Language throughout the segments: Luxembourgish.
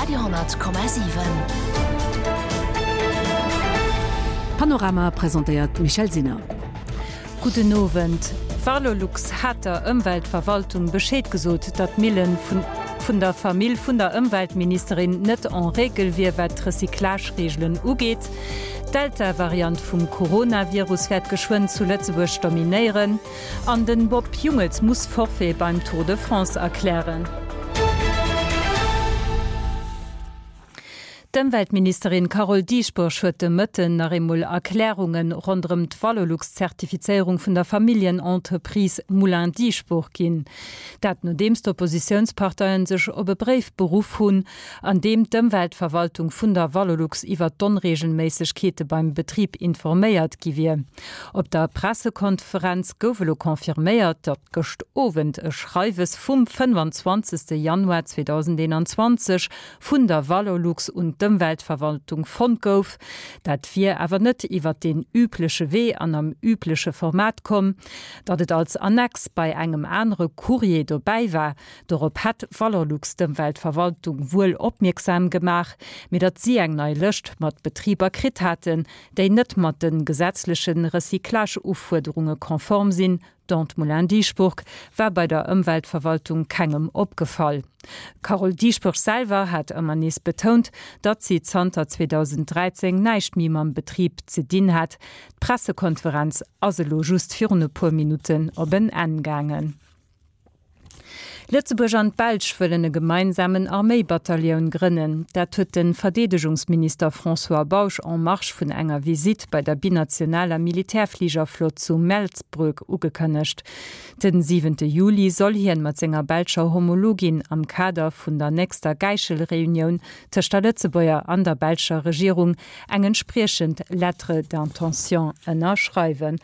Radio,7. Panorama presentéiert d'Michèle Sinner. Gudden Owend. Valorlux hat der Ëmweltverwaltung Bescheed gesot, datt d'Millen vun vun der Famill vun der Ëmweltministerin net en règle wier, wat d'Recyclage-Reegelen ugeet. D'Delta-Variant vum Coronavirus wäert geschwënn zu Lëtzebuerg dominéieren. An den Bob Jungels muss Forfait beim Tour de France erklären. D'Ëmweltministerin Carole Dieschbourg huet de Mëtten nach eemol Erklärunge ronderëm d'Valorlux-Zertifizéierung vun der Familljenentreprise Moulin Dieschbourg ginn. Dat nodeems d'Oppositiounsparteien sech op e Bréif beruff hunn, an deem d'Ëmweltverwaltung vun der Valorlux iwwer d'Onreegelméissegkeete beim Betrib informéiert gi wier. Op der Pressekonferenz gouf elo confirméiert, datt gëscht Owend e Schreiwes vum 25. Januar 2021 vun der Valorlux un d'Ëmweltverwaltung fonnt gouf. Dat wier awer net iwwer deen übleche Wee an am übleche Format komm. Datt et als Annex bei engem anere Courrier dobäi war, dorop hätt Valorlux d'Ëmweltverwaltung wuel opmierksam gemaach, mee datt si eng nei Lëscht mat Betriber kritt haten, déi net mat de gesetzleche Recyclage-Ufuerderunge konform sinn, D'Ante Moulin-Dieschbourg war bei der Ëmweltverwaltung kengem opgefall. D'Carole Dieschbourg selwer hat ëmmer nees betount, datt si zanter 2013 näischt méi mam Betrib ze dinn hätt. D'Pressekonferenz ass elo just virun e puer Minutten op en Enn gaangen. Lëtzebuerg an d'Belsch wëllen e gemeinsamen Arméibatallioun grënnen. Dat huet de Verdeedegungsminister François Bausch en marge vun enger Visitt bei der binationaler Militärfligerflott zu Melsbroek ugekënnegt. Den siwente Juli soll hien mat senger belscher Homologin am Kader vun der nächster Gäichelreunioun tëscht der Lëtzebuerger an der belscher Regierung eng entspriechend Lettre d'intention ënnerschreiwen.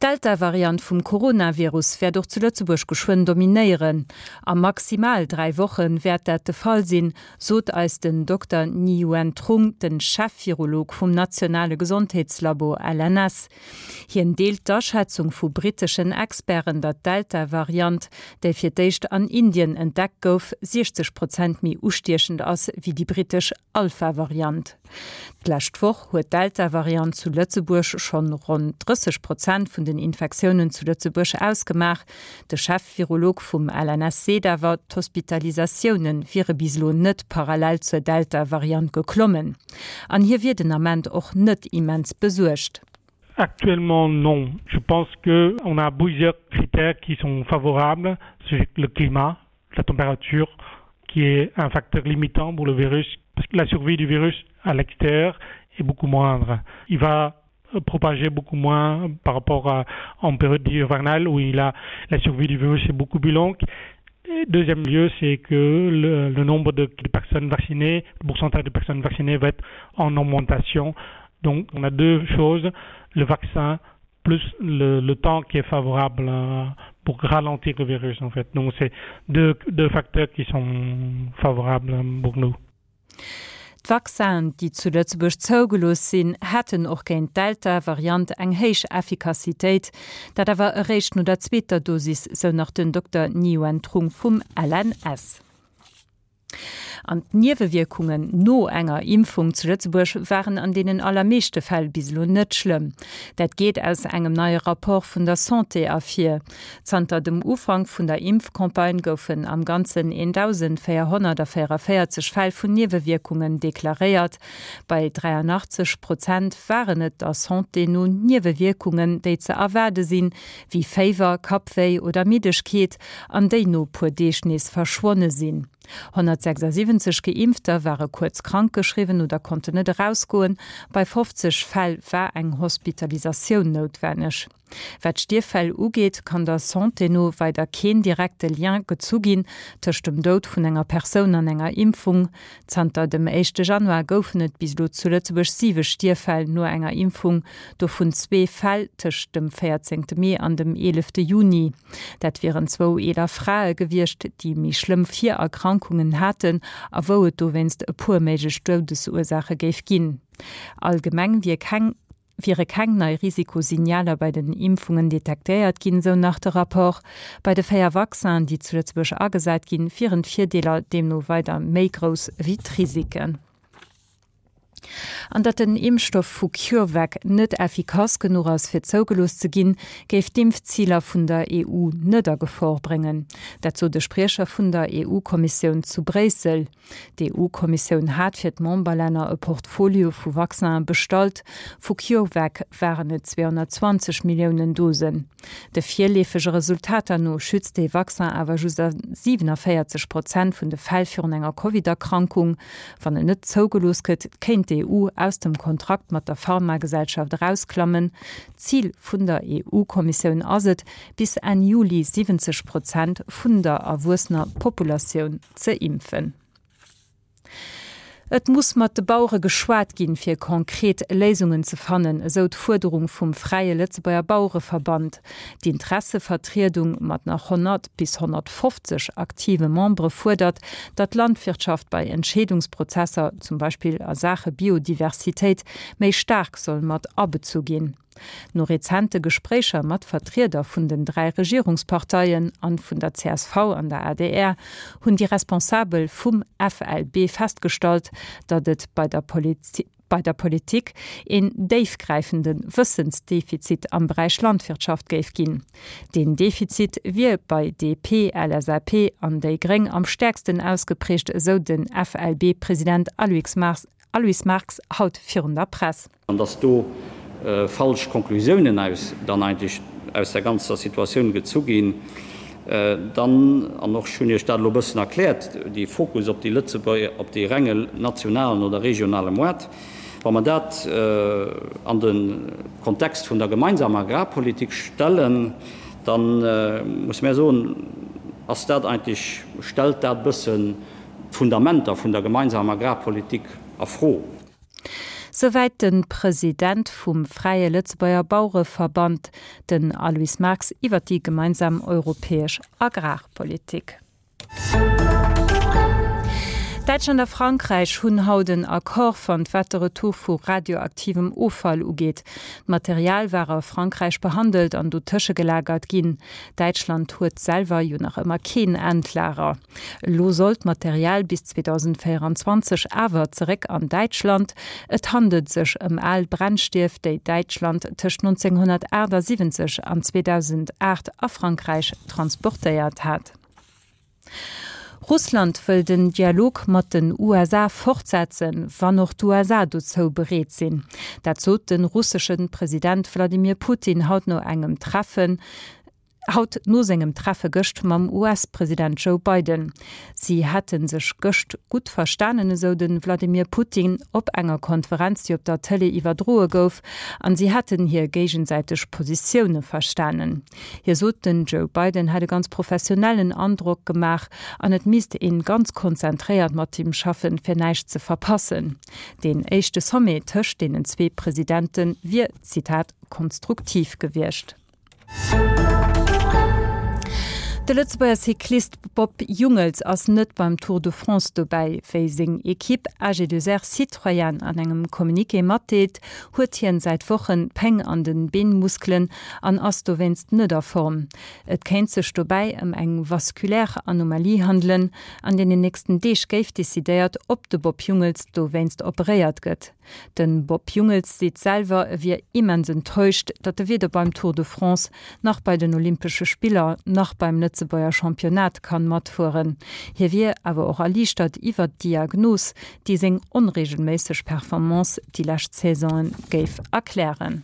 D'Delta-Variant vum Coronavirus wäert och zu Lëtzebuerg geschwënn dominéieren. A maximal 3 Woche wäert dat de Fall sinn, sot eis den Dokter Ni-Yuen Trung, de Chef-Virolog vum nationale Gesondheetslabo LNS. Hien deelt d'Aschätzung vu britteschen Experten, datt d'Delta-Variant, déi fir d'éischt an Indien entdeckt gouf, 60 Prozent méi ustiechend ass wéi déi brittesch Alpha-Variant. D'lescht Woch huet d'Delta-Variant zu Lëtzebuerg schonn ronn 30 Prozent vun den Infektiounen zu Lëtzebuerg ausgemaach. De Chef-Virolog vum LNS seet awer, d'Hospitalisatioune wiere bis elo net parallel zur Delta-Variant geklommen. An hie wier den Ament och net immens besuergt. Actuellement non. Je pense que on a plusieurs critères qui sont favorables, c'est le climat, la température qui est un facteur limitant pour le virus parce que la survie du virus à l'extérieur est beaucoup moindre. Il va propager beaucoup moins par rapport à en période hivernale où il a la survie du virus est beaucoup plus longue. Et deuxième lieu, c'est que le, le nombre de, de personnes vaccinées, le pourcentage de personnes vaccinées va être en augmentation. Donc on a deux choses, le vaccin plus le, le temps qui est favorable euh, pour ralentir le virus en fait. Donc c'est deux, deux facteurs qui sont favorables pour nous. D'Vaccinen, déi zu Lëtzebuerg zougelooss sinn, hätten och géint d'Delta-Variant eng héich Effikassitéit. Dat awer eréischt no der zweeter Dosis, sou nach den Dokter Niyuan Trung vum LNS. An d'Niewewierkungen no enger Impfung zu Lëtzebuerg waren an deenen allermeeschte Fäll bis elo net schlëmm. Dat geet aus engem neie Rapport vun der Santé ervir. Zanter dem Ufank vun der Impfcampagne goufen am Ganzen 1.444 Fäll vun Niewewierkungen deklaréiert. Bei 83 Prozent waren et der Santé no Niewewierkungen, déi ze erwaarde sinn, wéi Féiwer, Kappwéi oder Middegkeet, an déi no puer Deeg nees verschwonne sinn. 176 Geimpfter ware kuerz krank geschriwwen oder konnten net erausgoen, bei 50 Fäll war eng Hospitalisatioun noutwenneg. Wat d'Stierffäll ugeet, kann der Santé no weider keen direkte Lien gezu ginn tëscht dem Doud vun enger Persoun an enger Impfung. Zanter dem éischte Januar goufen et bis elo zu Lëtzebuerg siwe Stierffäll no enger Impfung, dovun zwee Fäll tëscht dem 14 Mee an dem 11 Juni. Dat wieren zwou eeler Frae gewiescht, déi méi schlëmm Virerkrankungen haten a wou et dowéinst e puer méiglech Doudesursaache géif ginn. Allgemeng wier keng. wiere keng nei Risikosignaler bei den Impfungen detektéiert ginn, sou nach de Rapport. Bei de 4 Vaccinen, déi zu Lëtzebuerg agesat ginn, wieren d'Virdeeler deemno weider méi grouss ewéi d'Risiken. An datt den Impfstoff vu CureVac net effikass genuch ass, fir zougelooss ze ginn, géif d'Impfziler vun der EU net a Gefor bréngen. Dat sot e Spriecher vun der EU-Kommissioun zu Bréissel. D'EU-Kommissioun hat fir d'Memberlänner e Portfolio vu Vaccinen bestallt. Vu CureVac waren et 220 Milliounen Dosen. De virleefege Resultater no schützt dee Vaccin awer just a 47 Prozent vun de Fäll virun enger Covid-Erkrankung. Wann en net zougelooss gëtt, kéint d'EU aus dem Kontrakt mat der Pharmagesellschaft erausklammen. Zil vun der EU-Kommissioun ass et, bis Enn Juli 70 Prozent vun der erwuessener Populatioun ze impfen. Et muss mat de Bauere geschwat ginn, fir konkret Léisungen ze fannen, esou d'Fuerderung vum Fräie Lëtzebuerger Bauereverband. D'Intressevertriedung mat nach 100 bis 150 aktive Membere fuerdert, datt d'Landwirtschaft bei Entscheedungsprozesser, zum Beispill a Saache Biodiversitéit, méi staark soll mat abezu ginn. No rezente Gespréicher mat Vertrieder vun den 3 Regierungsparteien an vun der csv an der adr hunn déi Responsabel vum FLB festgestallt, datt et bei der bei der Politik een déifgräifende Wëssensdefizit am Beräich Landwirtschaft géif ginn. Deen Defizit wier bei DP, LSAP an déi Gréng am stäerksten ausgeprägt, esou den FLB-President Aloyse Marx haut virun der Press. An dass do falsch Konklusiounen aus dann eigentlech aus der ganzer Situatioun gezu ginn, dann, an och ech hunn Iech dat elo e bëssen erkläert, dee Fokus op déi Lëtzebuerger, op dee renge nationalen oder regionale Moart, wa mer dat an de Kontext vun der gemeinsamer Agrarpolitik stellen, da musse mär soen, ass dat eigentlech, stellt dat e bëssen d'Fundamenter vun der gemeinsamer Agrarpolitik a Fro. Souwäit de President vum Fräie Lëtzebuerger Bauereverband, den Aloyse Marx, iwwer déi gemeinsam europäesch Agrarpolitik. Däitschland a Frankräich hunn haut en Accord fonnt, wat de Retour vu radioaktivem Offall ugeet. D'Material war a Frankräich behandelt an do tëschegelagert ginn. Däitschland huet selwer jo nach ëmmer keen Endlager. Elo soll d'Material bis 2024 awer zeréck an Däitschland. Et handelt sech ëm al Brennstief, déi Däitschland tëscht 1978 an 2008 a Frankräich transportéiert hat. Russland wëll den Dialog mat den USA fortsetzen, wann och d'USA dozou bereet sinn. Dat sot de russesche President Wladimir Putin haut no engem Treffen. Haut no sengem Treffe gëscht mam US-President Joe Biden. Si hätte sech gëscht gutt verstanen, esou de Vladimir Putin op enger Konferenz, déi op der Tëlee iwwerdroe gouf, an si hätten hir géigesäiteg Positioune verstanen. Hie sot, den Joe Biden hätt e ganz professionellen Androck gemaach an et misst ee ganz konzentréiert mat him schaffen, fir näischt ze verpassen. Deen éischte Sommet tëscht deenen zwee Presidente wier, Zitat, konstruktiv gewiescht. De Lëtzebuerger Cyclist Bob Jungels ass net beim Tour de France dobäi. Wéi seng Ekipp AG2R Citroën an engem Communiqué matdeelt, huet hien säit Wochen Péng an de Beenmuskelen an ass dowéinst net a Form. Et kéint sech dobäi ëm eng vasculaire Anomalie handelen. An deenen nächsten Deeg géif decidéiert, ob de Bob Jungels dowéinst operéiert gëtt. Den Bob Jungels seet selwer, e wier immens enttäuscht, datt e weder beim Tour de France, nach bei den Olympesche Spiller, nach beim Lëtzebuerger Championnat kann matfueren. Hie wier awer och erliichtert iwwert d'Diagnos, déi seng onreegelméisseg Performance déi lescht Saisonen géif erklären.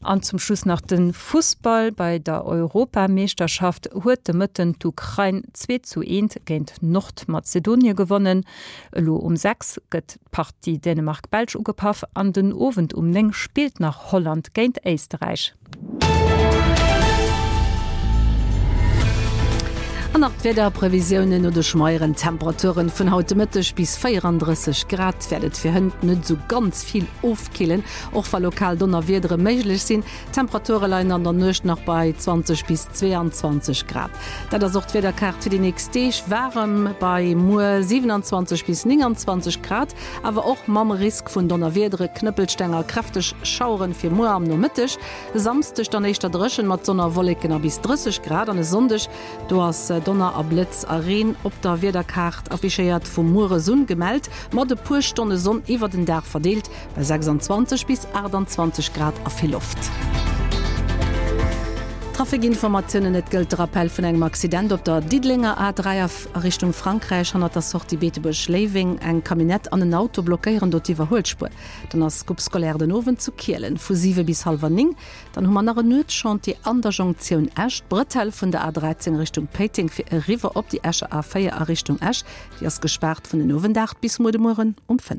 An zum Schluss nach de Fussball, Bei der Europameeschterschaft huet de Mëtten d'Ukrain 2 zu 1 géint Nordmazedonie gewonnen. Elo um 6 gëtt d'Partie Dänemark-Belsch ugepaff an den Owend um 9 spillt nach Holland géint Éisterräich. An nach d'Wiederprevisiounen, No de schmeieren Temperaturen vun haut de Mëtteg bis 34 Grad wäert et fir hënt net esou ganz vill ofkillen, och wa lokal Donnerwiedere méiglech sinn. D'Temperature leien an der Nuecht nach bei 20 bis 22 Grad. Dat ass och d'Wiederkaart fir déi nächst Deeg, waarem bei muer 27 bis 29 Grad, awer och mam Risk vun Donnerwiedere, Knëppelsteng a kräfteg Schaueren fir muer am Nomëtteg. E Samsdeg dann éischter dréchen mat Sonn a Wolleken a bis 30 Grad an e Sonndeg, do ass Donner a Blëtz a Reen op der Wiederkaart affichéiert, vu mueres un gemellt, mat e puer Stonne Sonn iwwer den Dag verdeelt, bei 26 bis 28 Grad a vill Loft. Trafikinformatiounen, Et gëllt de Rappel vun engem Accident op der Diddelenger A3 a Richtung Frankräich, hannert der Sortie Beetebuerg-Léiweng. Eng Camionnette an en Auto blockéieren do d'Iwwerhuelspuer. Dann ass Coupe scolaire den Owend zu Kielen vu 7 bis hallwer 9. Dann hu mer nach en Nuetschantier an der Jonktioun Esch. D'Bretelle vun der A13 Richtung Péiteng fir eriwwer op déi Escher A4 a Richtung Esch, déi ass gespaart vun den Owend 8 bis muer de Mueren um 5.